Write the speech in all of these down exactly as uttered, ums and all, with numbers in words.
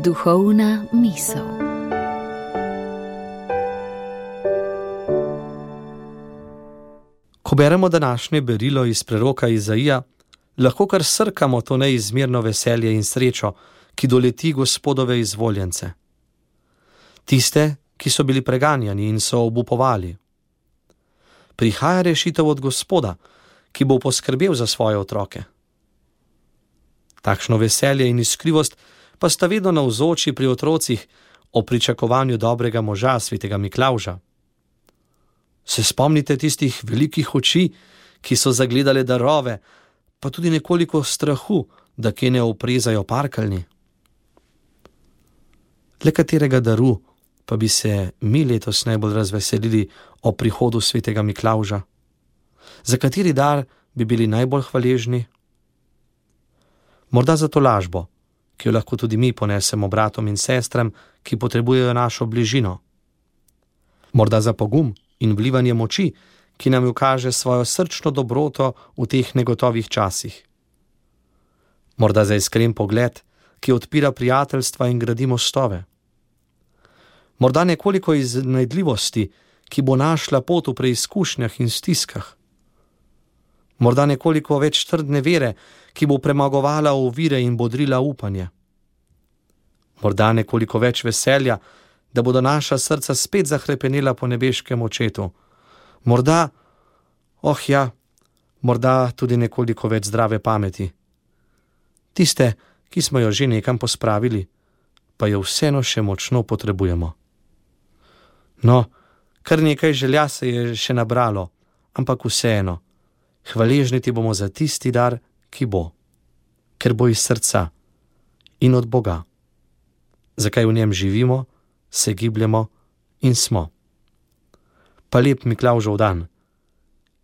Duhovna misel. Ko beremo današnje berilo iz preroka Izaija, lahko kar srkamo to neizmerno veselje in srečo, ki doleti Gospodove izvoljence. Tiste, ki so bili preganjani in so obupovali. Prihaja rešitev od Gospoda, ki bo poskrbel za svoje otroke. Takšno veselje in iskrivost pa sta vedno navzoči pri otrocih o pričakovanju dobrega moža, svetega Miklavža. Se spomnite tistih velikih oči, ki so zagledale darove, pa tudi nekoliko strahu, da kje ne oprezajo parkeljni? Le katerega daru pa bi se mi letos najbolj razveselili o prihodu svetega Miklavža? Za kateri dar bi bili najbolj hvaležni? Morda za to lažbo, ki jo lahko tudi mi ponesemo bratom in sestram, ki potrebujejo našo bližino. Morda za pogum in vlivanje moči, ki nam jo kaže svojo srčno dobroto v teh negotovih časih. Morda za iskren pogled, ki odpira prijateljstva in gradi mostove. Morda nekoliko iznajdljivosti, ki bo našla pot v preizkušnjah in stiskah. Morda nekoliko več trdne vere, ki bo premagovala ovire in bodrila upanje. Morda nekoliko več veselja, da bodo naša srca spet zahrepenela po nebeškem očetu. Morda, oh ja, morda tudi nekoliko več zdrave pameti. Tiste, ki smo jo že nekam pospravili, pa jo vseeno še močno potrebujemo. No, kar nekaj želja se je še nabralo, ampak vseeno, hvaležni ti bomo za tisti dar, ki bo, ker bo iz srca in od Boga. Zakaj v njem živimo, se gibljemo in smo. Pa lep Miklavžev dan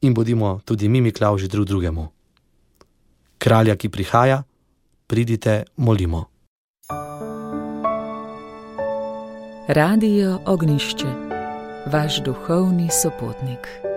in bodimo tudi mi Miklavži drug drugemu. Kralja, ki prihaja, pridite, molimo. Radio Ognjišče, vaš duhovni sopotnik.